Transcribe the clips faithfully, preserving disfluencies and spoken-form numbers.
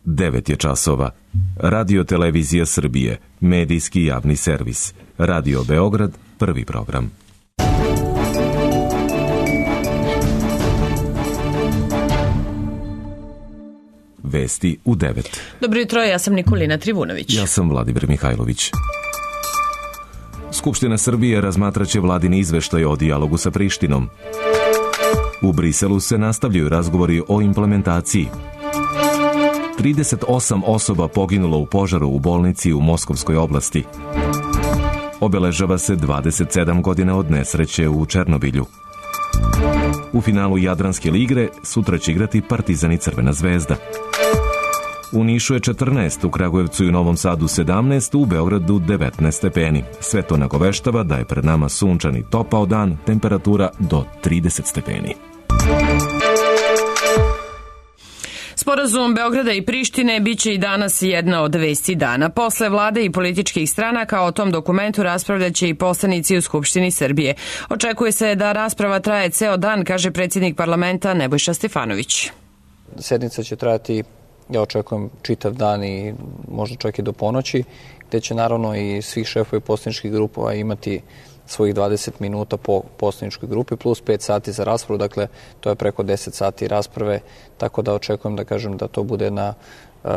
devet je časova. Radio Televizija Srbije, medijski javni servis. Radio Beograd, prvi program. Vesti u devet. Dobro jutro, ja sam Nikolina Trivunović. Ja sam Vladimir Mihajlović. Skupština Srbije razmatraće vladini izveštaj o dijalogu sa Prištinom. U Briselu se nastavljaju razgovori o implementaciji. trideset osam osoba poginulo u požaru u bolnici u Moskovskoj oblasti. Obeležava se dvadeset sedam godina od nesreće u Černobilju. U finalu Jadranske lige sutra će igrati Partizan i Crvena zvezda. U Nišu je četrnaest, u Kragujevcu i Novom Sadu sedamnaest, u Beogradu devetnaest stepeni. Sve to nagoveštava da je pred nama sunčan i topao dan, temperatura do trideset stepeni. Sporazum Beograda i Prištine biće i danas jedna od vesti dana. Posle vlade i političkih stranaka o tom dokumentu raspravljaće i poslanici u Skupštini Srbije. Očekuje se da rasprava traje ceo dan, kaže predsjednik parlamenta Nebojša Stefanović. Sednica će trajati, ja očekujem, čitav dan i možda čak i do ponoći, gde će naravno i svih šefovi poslaničkih grupova imati svojih dvadeset minuta po poslaničkoj grupi plus pet sati za raspravu, dakle to je preko deset sati rasprave, tako da očekujem da kažem da to bude jedna uh,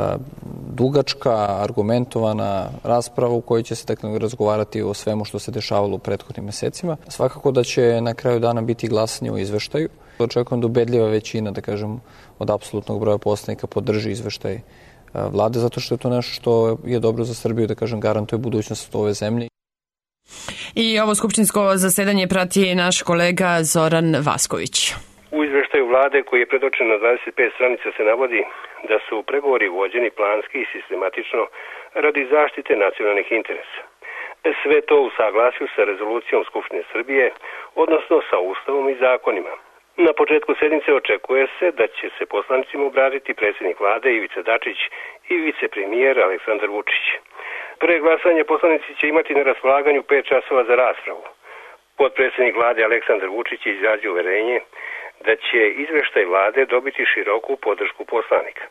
dugačka, argumentovana rasprava u kojoj će se dakle razgovarati o svemu što se dešavalo u prethodnim mesecima. Svakako da će na kraju dana biti glasanje o izveštaju. Očekujem da ubedljiva većina, da kažem, od apsolutnog broja poslanika podrži izveštaj uh, vlade, zato što je to nešto što je dobro za Srbiju, da kažem, garantuje budućnost ove zemlje. I ovo skupštinsko zasedanje prati naš kolega Zoran Vasković. U izveštaju vlade koji je predočen na dvadeset pet stranica se navodi da su pregovori vođeni planski i sistematično radi zaštite nacionalnih interesa. Sve to u saglasju sa rezolucijom Skupštine Srbije, odnosno sa Ustavom i zakonima. Na početku sednice očekuje se da će se poslanicima obratiti predsjednik vlade Ivica Dačić i vicepremijer Aleksandar Vučić. Pre glasanje poslanici će imati na raspolaganju pet časova za raspravu. Potpredsjednik vlade Aleksandar Vučić je izrazio uverenje da će izveštaj vlade dobiti široku podršku poslanika.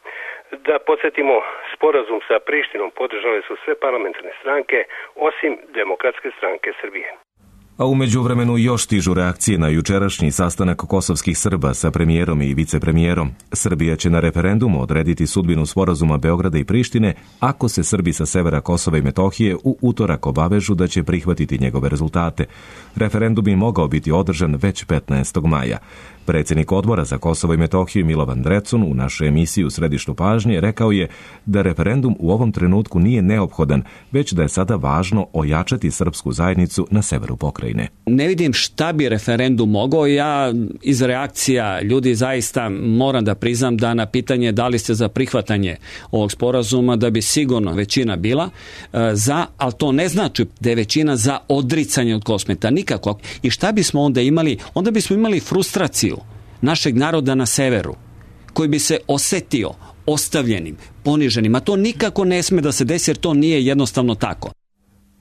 Da podsjetimo, sporazum sa Prištinom podržale su sve parlamentarne stranke osim Demokratske stranke Srbije. A u međuvremenu još stižu reakcije na jučerašnji sastanak kosovskih Srba sa premijerom i vicepremijerom. Srbija će na referendumu odrediti sudbinu sporazuma Beograda i Prištine ako se Srbi sa severa Kosova i Metohije u utorak obavežu da će prihvatiti njegove rezultate. Referendum bi mogao biti održan već petnaestog maja. Predsjednik odbora za Kosovo i Metohiju Milovan Drecun u našoj emisiji U središtu pažnje rekao je da referendum u ovom trenutku nije neophodan, već da je sada važno ojačati srpsku zajednicu na severu pokrajine. Ne vidim šta bi referendum mogao. Ja iz reakcija ljudi zaista moram da priznam da na pitanje da li ste za prihvatanje ovog sporazuma da bi sigurno većina bila za, ali to ne znači da je većina za odricanje od Kosmeta. Nikako. I šta bismo onda imali? Onda bismo imali frustraciju našeg naroda na severu, koji bi se osetio ostavljenim, poniženim, a to nikako ne sme da se desi jer to nije jednostavno tako.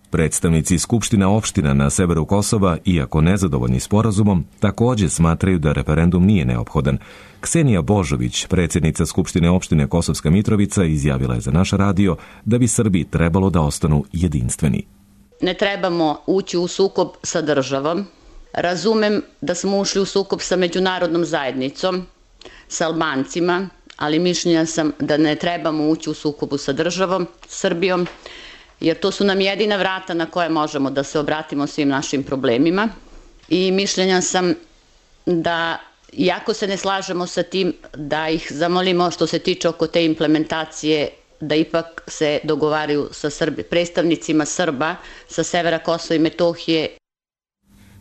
Predstavnici Skupština opština na severu Kosova, iako nezadovoljni sporazumom, također smatraju da referendum nije neophodan. Ksenija Božović, predsjednica Skupštine opštine Kosovska Mitrovica, izjavila je za naš radio da bi Srbi trebalo da ostanu jedinstveni. Ne trebamo ući u sukob sa državom. Razumem da smo ušli u sukob sa međunarodnom zajednicom, sa Albancima, ali mišljenja sam da ne trebamo ući u sukobu sa državom, Srbijom, jer to su nam jedina vrata na koje možemo da se obratimo svim našim problemima. I mišljenja sam da, iako se ne slažemo sa tim, da ih zamolimo što se tiče oko te implementacije, da ipak se dogovaraju sa Srbi, predstavnicima Srba sa severa Kosova i Metohije.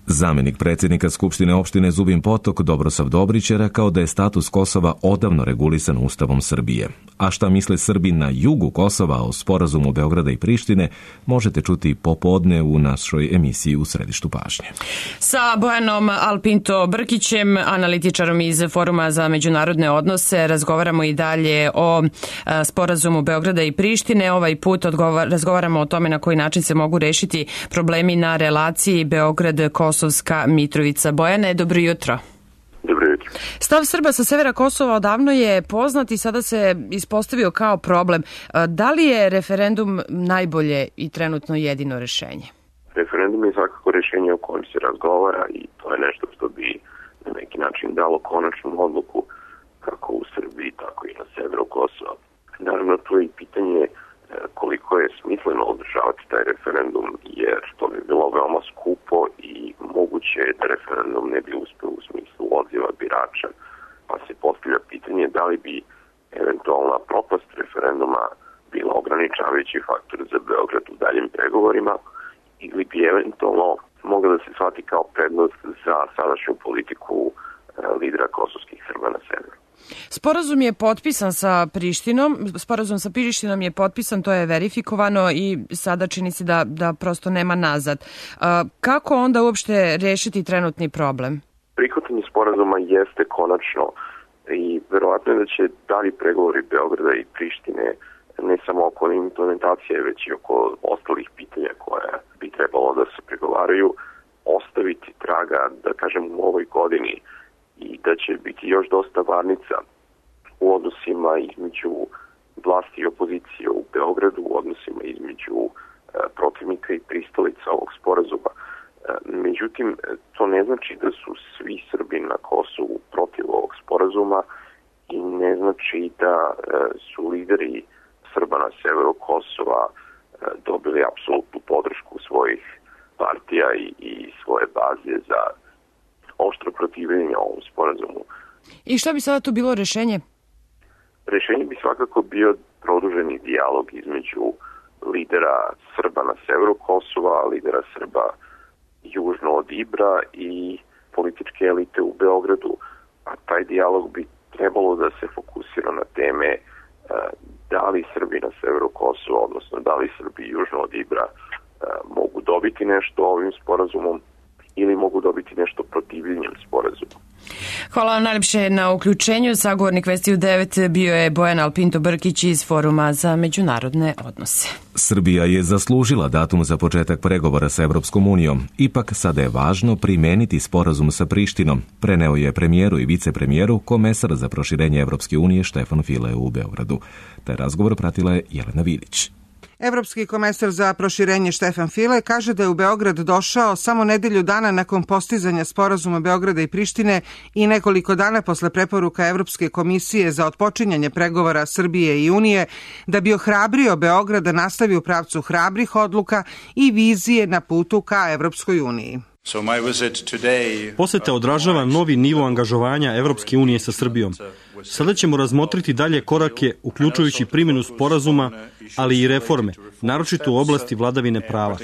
Zamenik predsjednika Skupštine opštine Zubin Potok Dobrosav Dobrić je rekao da je status Kosova odavno regulisan Ustavom Srbije. A šta misle Srbi na jugu Kosova o sporazumu Beograda i Prištine možete čuti popodne u našoj emisiji U središtu pažnje. Sa Bojanom Alpinto Brkićem, analitičarom iz Foruma za međunarodne odnose, razgovaramo i dalje o sporazumu Beograda i Prištine. Ovaj put odgovor, razgovaramo o tome na koji način se mogu rešiti problemi na relaciji Beograd-Kosovska Mitrovica. Bojane, dobro jutro. Dobro jutro. politike. Stav Srba sa severa Kosova odavno je poznat i sada se ispostavio kao problem. Da li je referendum najbolje i trenutno jedino rešenje? Referendum je svakako rešenje o kojem se razgovara i to je nešto što bi na neki način dalo konačnu odluku kako u Srbiji, tako i na severu Kosova. Naravno, tu je i pitanje koliko je smisleno održavati taj referendum, jer to bi bilo veoma skupo i moguće je da referendum ne bi uspeo u smislu odziva birača, pa se postavlja pitanje da li bi eventualna propast referenduma bila ograničavajući faktor za Beograd u daljim pregovorima ili bi eventualno mogla da se shvati kao prednost za sadašnju politiku lidera kosovskih Srba na severu. Sporazum je potpisan sa Prištinom, sporazum sa Prištinom je potpisan, to je verifikovano i sada čini se da, da prosto nema nazad. Kako onda uopšte rešiti trenutni problem? Prihvatanje sporazuma jeste konačno i verovatno je da će dalji pregovori Beograda i Prištine ne samo oko implementacije, već i oko ostalih pitanja koje bi trebalo da se pregovaraju, ostaviti traga, da kažem, u ovoj godini i da će biti još dosta varnica u odnosima između vlasti i opozicije u Beogradu, u odnosima između e, protivnika i pristalica ovog sporazuma. E, međutim, to ne znači da su svi Srbi na Kosovu protiv ovog sporazuma i ne znači da e, su lideri Srba na severu Kosova e, dobili apsolutnu podršku svojih partija i, i svoje baze za oštro protivljenje ovom sporazumu. I šta bi sada tu bilo rešenje? Rešenje bi svakako bio produženi dijalog između lidera Srba na severu Kosova, lidera Srba južno od Ibra i političke elite u Beogradu. A taj dijalog bi trebalo da se fokusira na teme da li Srbi na severu Kosova, odnosno da li Srbi južno od Ibra mogu dobiti nešto ovim sporazumom ili mogu dobiti nešto protivljenjem sporazuma. Hvala vam najljepše na uključenju. Sagovornik Vesti u devet bio je Bojan Alpinto Brkić iz Foruma za međunarodne odnose. Srbija je zaslužila datum za početak pregovora sa Evropskom unijom. Ipak sada je važno primeniti sporazum sa Prištinom, preneo je premijeru i vicepremijeru komesar za proširenje Evropske unije Štefan File u Beogradu. Taj razgovor pratila je Jelena Vilić. Evropski komesar za proširenje Štefan File kaže da je u Beograd došao samo nedelju dana nakon postizanja sporazuma Beograda i Prištine i nekoliko dana posle preporuka Evropske komisije za otpočinjanje pregovora Srbije i Unije, da bi ohrabrio Beograd da nastavi u pravcu hrabrih odluka i vizije na putu ka Evropskoj uniji. Poseta odražava novi nivo angažovanja Evropske unije sa Srbijom. Sada ćemo razmotriti dalje korake, uključujući primjenu sporazuma, ali i reforme, naročito u oblasti vladavine prava.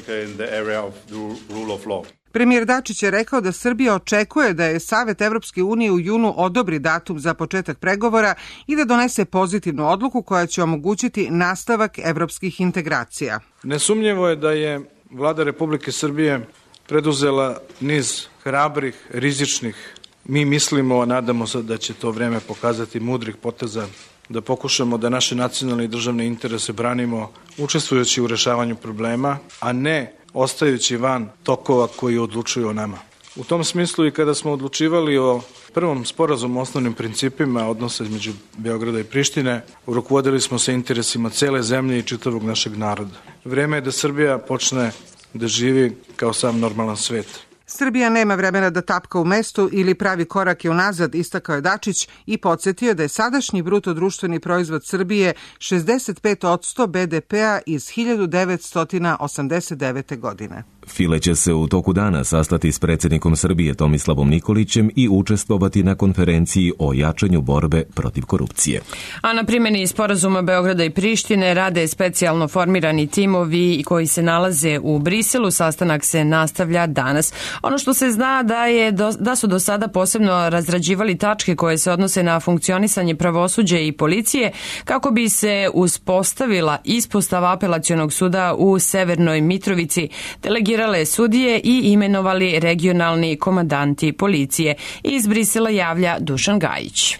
Premijer Dačić je rekao da Srbija očekuje da je Savet Evropske unije u junu odobri datum za početak pregovora i da donese pozitivnu odluku koja će omogućiti nastavak evropskih integracija. Nesumnjivo je da je Vlada Republike Srbije preduzela niz hrabrih, rizičnih, mi mislimo, a nadamo se da će to vreme pokazati, mudrih poteza, da pokušamo da naše nacionalne i državne interese branimo učestvujući u rešavanju problema, a ne ostajući van tokova koji odlučuju o nama. U tom smislu i kada smo odlučivali o prvom sporazumu o osnovnim principima odnosa između Beograda i Prištine, rukovodili smo se interesima cele zemlje i čitavog našeg naroda. Vreme je da Srbija počne da živi kao sam normalan svet. Srbija nema vremena da tapka u mestu ili pravi korake unazad, istakao je Dačić i podsjetio da je sadašnji bruto društveni proizvod Srbije šezdeset pet posto be de pea iz hiljadu devetsto osamdeset devete. godine. File će se u toku dana sastati s predsjednikom Srbije Tomislavom Nikolićem i učestvovati na konferenciji o jačanju borbe protiv korupcije. A na primjeni sporazuma Beograda i Prištine rade specijalno formirani timovi koji se nalaze u Briselu. Sastanak se nastavlja danas. Ono što se zna da, je do, da su do sada posebno razrađivali tačke koje se odnose na funkcionisanje pravosuđa i policije kako bi se uspostavila ispostava apelacionog suda u Severnoj Mitrovici, delegirali sudije i imenovali regionalni komandanti policije. Iz Brisela javlja Dušan Gajić.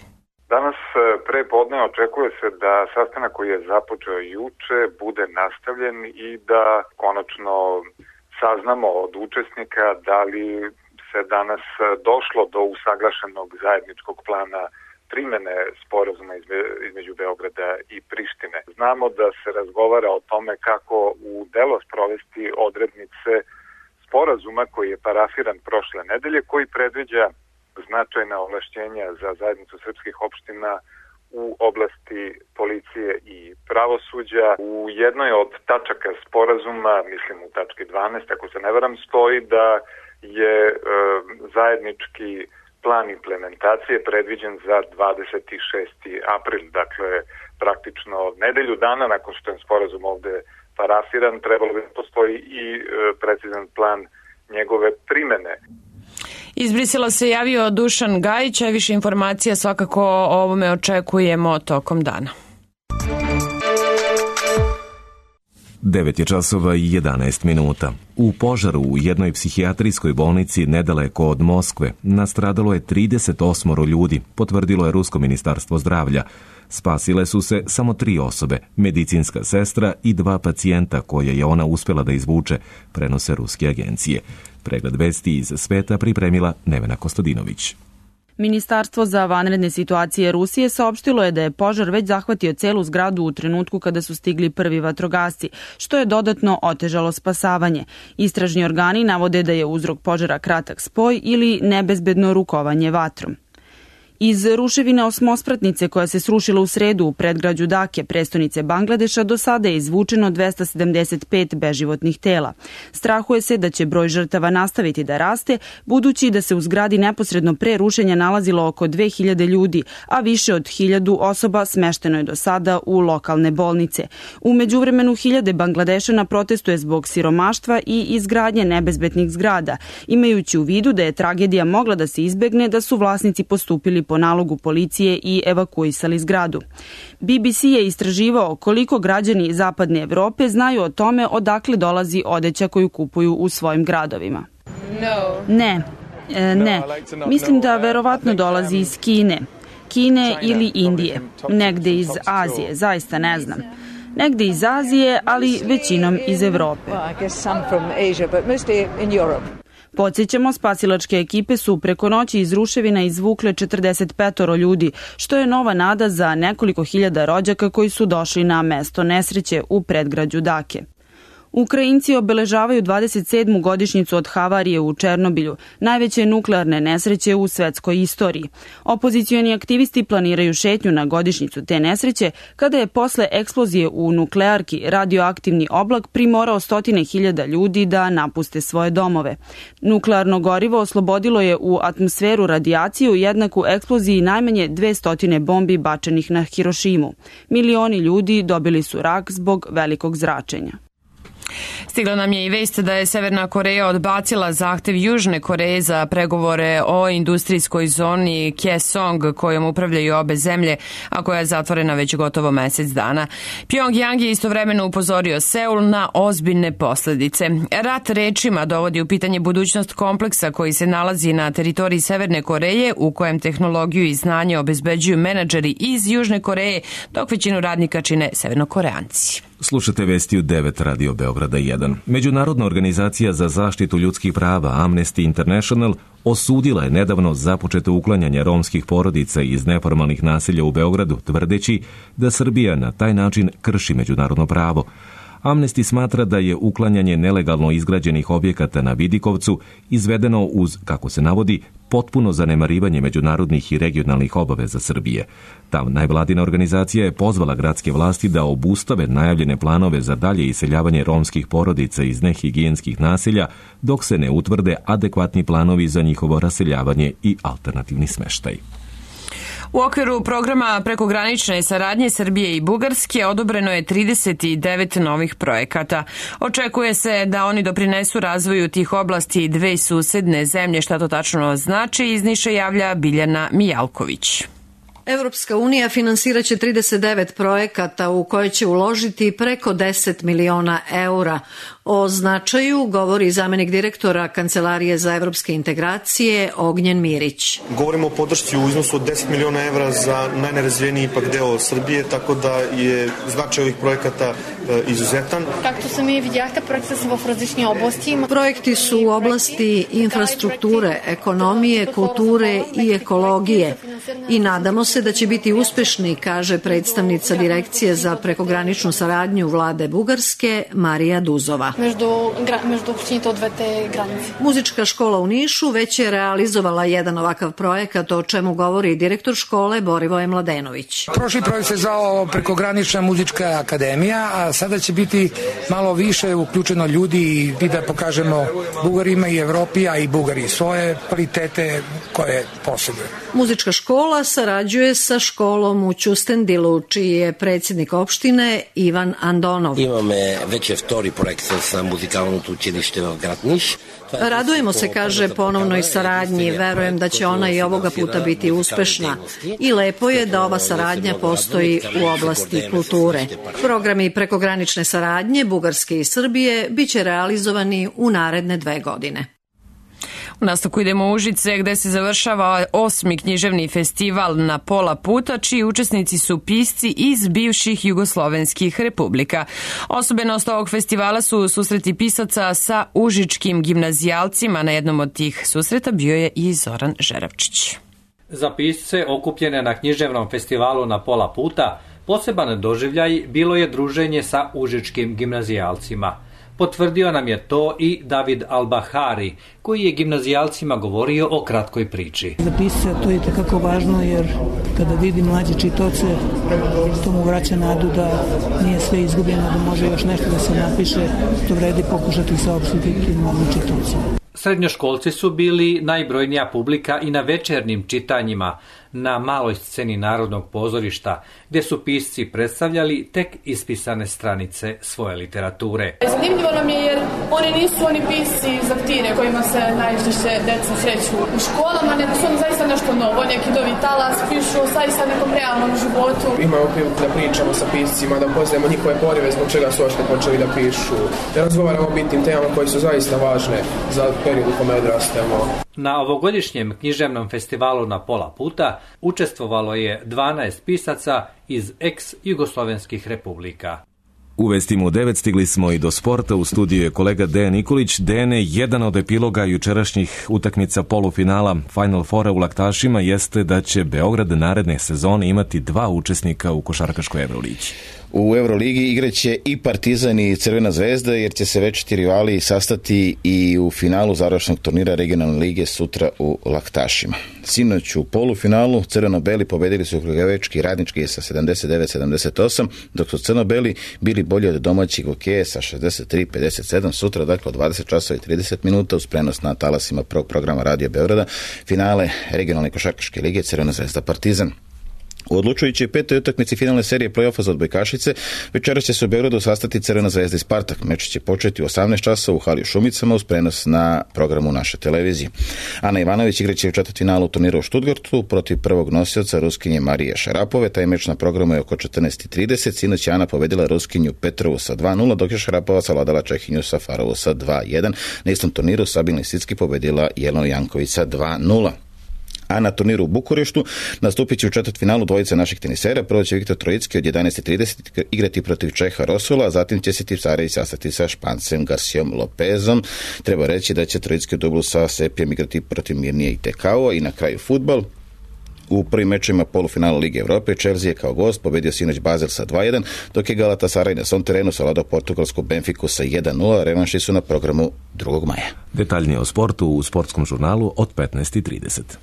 Danas pre podne očekuje se da sastanak koji je započeo juče bude nastavljen i da konačno saznamo od učesnika da li se danas došlo do usaglašenog zajedničkog plana primene sporazuma između Beograda i Prištine. Znamo da se razgovara o tome kako u delo sprovesti odrednice sporazuma koji je parafiran prošle nedelje, koji predviđa značajna ovlašćenja za zajednicu srpskih opština u oblasti policije i pravosuđa. U jednoj od tačaka sporazuma, mislim u tački dvanaest, ako se ne varam, stoji da je e, zajednički plan implementacije predviđen za dvadeset šesti april, dakle praktično nedelju dana nakon što je sporazum ovde parafiran, trebalo bi da postoji i e, precizan plan njegove primene. Iz Brisela se javio Dušan Gajić, a više informacija svakako o ovome očekujemo tokom dana. devet je časova i jedanaest minuta. U požaru u jednoj psihijatrijskoj bolnici nedaleko od Moskve nastradalo je trideset osam ljudi, potvrdilo je Rusko ministarstvo zdravlja. Spasile su se samo tri osobe, medicinska sestra i dva pacijenta koje je ona uspjela da izvuče, prenose ruske agencije. Pregled vesti iz sveta pripremila Nevena Kostadinović. Ministarstvo za vanredne situacije Rusije saopštilo je da je požar već zahvatio celu zgradu u trenutku kada su stigli prvi vatrogasci, što je dodatno otežalo spasavanje. Istražni organi navode da je uzrok požara kratak spoj ili nebezbedno rukovanje vatrom. Iz ruševine osmospratnice koja se srušila u sredu u predgrađu Dake, prestonice Bangladeša, do sada je izvučeno dvesta sedamdeset pet beživotnih tela. Strahuje se da će broj žrtava nastaviti da raste, budući da se u zgradi neposredno pre rušenja nalazilo oko dve hiljade ljudi, a više od hiljadu osoba smešteno je do sada u lokalne bolnice. U međuvremenu hiljade Bangladešana protestuje zbog siromaštva i izgradnje nebezbednih zgrada, imajući u vidu da je tragedija mogla da se izbegne da su vlasnici postupili po nalogu policije i evakuisali zgradu. B B C je istraživao koliko građani zapadne Evrope znaju o tome odakle dolazi odeća koju kupuju u svojim gradovima. Ne, e, ne. Mislim da verovatno dolazi iz Kine. Kine ili Indije. Negde iz Azije, zaista ne znam. Negde iz Azije, ali većinom iz Evrope. Podsjećamo, spasilačke ekipe su preko noći iz ruševina izvukle četrdeset pet ljudi, što je nova nada za nekoliko hiljada rođaka koji su došli na mesto nesreće u predgrađu Dake. Ukrajinci obeležavaju dvadeset sedmu godišnjicu od havarije u Černobilju, najveće nuklearne nesreće u svetskoj istoriji. Opozicioni aktivisti planiraju šetnju na godišnjicu te nesreće, kada je posle eksplozije u nuklearki radioaktivni oblak primorao stotine hiljada ljudi da napuste svoje domove. Nuklearno gorivo oslobodilo je u atmosferu radijaciju jednaku eksploziji najmanje dvesta bombi bačenih na Hirošimu. Milioni ljudi dobili su rak zbog velikog zračenja. Stigla nam je i vest da je Severna Koreja odbacila zahtev Južne Koreje za pregovore o industrijskoj zoni Kaesong kojom upravljaju obe zemlje, a koja je zatvorena već gotovo mesec dana. Pjongjang je istovremeno upozorio Seul na ozbiljne posledice. Rat rečima dovodi u pitanje budućnost kompleksa koji se nalazi na teritoriji Severne Koreje, u kojem tehnologiju i znanje obezbeđuju menadžeri iz Južne Koreje, dok većinu radnika čine Severnokoreanci. Slušate vesti u devet Radio Beograda jedan. Međunarodna organizacija za zaštitu ljudskih prava Amnesty International osudila je nedavno započeto uklanjanje romskih porodica iz neformalnih naselja u Beogradu, tvrdeći da Srbija na taj način krši međunarodno pravo. Amnesty smatra da je uklanjanje nelegalno izgrađenih objekata na Vidikovcu izvedeno uz, kako se navodi, potpuno zanemarivanje međunarodnih i regionalnih obaveza Srbije. Ta najvladina organizacija je pozvala gradske vlasti da obustave najavljene planove za dalje iseljavanje romskih porodica iz nehigijenskih naselja, dok se ne utvrde adekvatni planovi za njihovo raseljavanje i alternativni smeštaj. U okviru programa prekogranične saradnje Srbije i Bugarske odobreno je trideset devet novih projekata. Očekuje se da oni doprinesu razvoju tih oblasti dve susedne zemlje. Šta to tačno znači, iz Niša javlja Biljana Mijalković. Evropska unija finansiraće trideset devet projekata u koje će uložiti preko deset miliona eura. O značaju govori zamenik direktora Kancelarije za evropske integracije Ognjen Mirić. Govorimo o podršci u iznosu od deset miliona evra za najnerazvijeniji ipak deo Srbije, tako da je značaj ovih projekata izuzetan. Както сами видяхте, проекти са в различни области. Projekti su u oblasti infrastrukture, ekonomije, kulture i ekologije i nadamo se da će biti uspešni, kaže predstavnica Direkcije za prekograničnu saradnju vlade Bugarske Marija Duzova. Между между общините от двете граници. Muzička škola u Nišu već je realizovala jedan ovakav projekat, o čemu govori direktor škole Borivoje Mladenović. Prošli projekt se zvao Prekogranična muzička akademija, a sada će biti malo više uključeno ljudi i da pokažemo Bugarima i Evropi, a i Bugari svoje kvalitete koje posjeduje. Muzička škola sarađuje sa školom u Ćustendilu, čiji je predsjednik opštine Ivan Andonov. Imаме вече втори проект с музикалното училище в град Ниш. Radujemo se, kaže, ponovnoj saradnji. Verujem da će ona i ovoga puta biti uspešna. I lepo je da ova saradnja postoji u oblasti kulture. Programi prekogranične saradnje Bugarske i Srbije biće realizovani u naredne dve godine. U nastavku idemo u Užice gde se završava osmi književni festival Na pola puta, čiji učesnici su pisci iz bivših jugoslovenskih republika. Osobenost ovog festivala su susreti pisaca sa užičkim gimnazijalcima. Na jednom od tih susreta bio je i Zoran Žeravčić. Za pisce okupljene na književnom festivalu Na pola puta poseban doživljaj bilo je druženje sa užičkim gimnazijalcima. Potvrdio nam je to i David Albahari, koji je gimnazijalcima govorio o kratkoj priči. Za pisca to je takako važno, jer kada vidi mlađe čitoce, to mu vraća nadu da nije sve izgubljeno, da može još nešto da se napiše, to vredi pokušati saopštiti tim mladim čitocima. Srednjoškolci su bili najbrojnija publika i na večernjim čitanjima na maloj sceni Narodnog pozorišta, gdje su pisci predstavljali tek ispisane stranice svoje literature. Zanimljivo nam je jer oni nisu oni pisci iz aktire kojima se najčešće deca sreću u školama, nego su oni zaista nešto novo, neki novi talas, pišu zaista nekom realnom životu. Imamo priliku da pričamo sa piscima, da upoznajemo njihove porive zbog čega su ošte počeli da pišu, da razgovaramo o bitnim temama koje su zaista važne za period u kome odrastemo. Na ovogodišnjem književnom festivalu Na pola puta učestvovalo je dvanaest pisaca iz ex-jugoslovenskih republika. U vestima u devet stigli smo i do sporta. U studiju je kolega Dejan Nikolić. Dejane, jedan od epiloga jučerašnjih utakmica polufinala Final Fora u Laktašima jeste da će Beograd naredne sezone imati dva učesnika u košarkaškoj Evroligi. U Euroligi igraće i Partizan i Crvena zvezda, jer će se večiti rivali sastati i u finalu završnog turnira regionalne lige sutra u Laktašima. Sinoć u polufinalu crveno-beli pobedili su Kragujevečki Radnički sa sedamdeset devet sedamdeset osam, dok su crno-beli bili bolji od domaćih Gokeje sa šezdeset tri pedeset sedam. Sutra, dakle, od dvadeset časova i trideset minuta uz prenos na talasima prvog programa Radio Beograda, finale regionalne košarkaške lige Crvena zvezda Partizan. U odlučujućoj petoj utakmici finalne serije play-offa za odbojkašice večeras će se u Beogradu sastati Crvena zvezda i Spartak. Meč će početi u osamnaest časova u hali u Šumicama uz prenos na programu naše televizije. Ana Ivanović igraće u četvrtfinalu turnira u Stuttgartu protiv prvog nosioca Ruskinje Marije Šarapove. Taj meč na programu je oko četrnaest i trideset. Sinoć je Ana pobedila Ruskinju Petrovu sa dva nula, dok je Šarapova savladala Čehinju Safarovu sa dva jedan. Na istom turniru Sabina Lisicki pobedila Jelenu Janković sa dva nula. A na turniru u Bukureštu nastupit će u četvrtfinalu dvojica naših tenisera. Prvo će Viktor Trojicki od jedanaest i trideset igrati protiv Čeha Rosula, a zatim će se Tipsarević sastati sa Špancem Garcijom Lopezom. Treba reći da će Trojicki u dublu sa Sepijem igrati protiv Mirnije i Tekao. I na kraju fudbal. U prvim mečima polufinala Lige Evrope Chelsea je kao gost pobedio sinoć Basel sa dva jedan, dok je Galatasaray na svom terenu savladao portugalsku Benfiku sa jedan nula. Revanši su na programu drugog maja. Detaljnije o sportu u sportskom žurnalu od petnaest i trideset.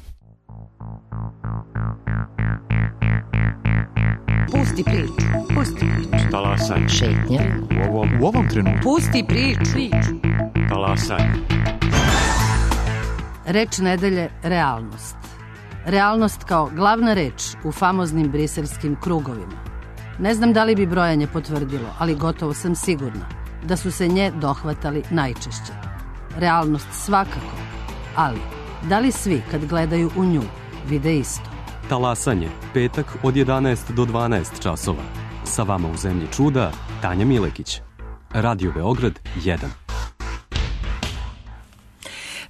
Pusti priču, pusti priču. Talasaj. Šetnja. U ovom, u ovom trenutku. Pusti priču. priču. Talasaj. Reč nedelje realnost. Realnost kao glavna reč u famoznim briselskim krugovima. Ne znam da li bi brojanje potvrdilo, ali gotovo sam sigurna da su se nje dohvatali najčešće. Realnost svakako, ali da li svi kad gledaju u nju vide isto? Talasanje, petak od jedanaest do dvanaest časova. Sa vama u Zemlji čuda, Tanja Milekić. Radio Beograd jedan.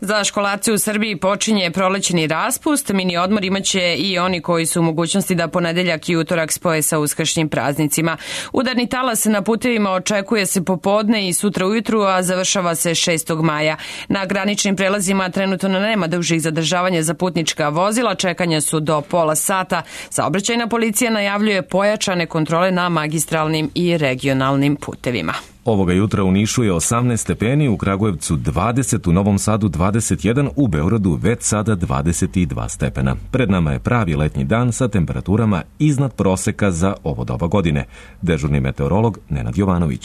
Za školarce u Srbiji počinje prolećni raspust. Mini odmor imaće i oni koji su u mogućnosti da ponedeljak i utorak spoje sa uskršnjim praznicima. Udarni talas na putevima očekuje se popodne i sutra ujutru, a završava se šestog maja. Na graničnim prelazima trenutno nema dužih zadržavanja za putnička vozila, čekanja su do pola sata. Saobraćajna policija najavljuje pojačane kontrole na magistralnim i regionalnim putevima. Ovoga jutra u Nišu je osamnaest stepeni, u Kragujevcu dvadeset, u Novom Sadu dvadeset jedan, u Beogradu već sada dvadeset dva stepena. Pred nama je pravi letnji dan sa temperaturama iznad proseka za ovo doba godine. Dežurni meteorolog Nenad Jovanović.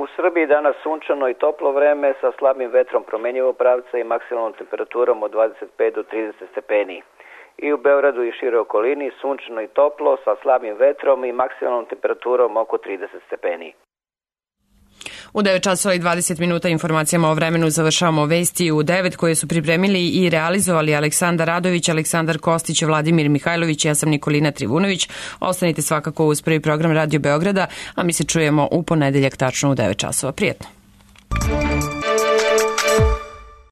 U Srbiji danas sunčano i toplo vreme sa slabim vetrom promenjivog pravca i maksimalnom temperaturom od dvadeset pet do trideset stepeni. I u Beogradu i šire okolini sunčano i toplo sa slabim vetrom i maksimalnom temperaturom oko trideset stepeni. U devet časova i dvadeset minuta informacijama o vremenu završavamo vesti u devet koje su pripremili i realizovali Aleksandar Radović, Aleksandar Kostić, Vladimir Mihajlović, ja sam Nikolina Trivunović. Ostanite svakako uz prvi program Radio Beograda, a mi se čujemo u ponedeljak tačno u devet časova. Prijetno.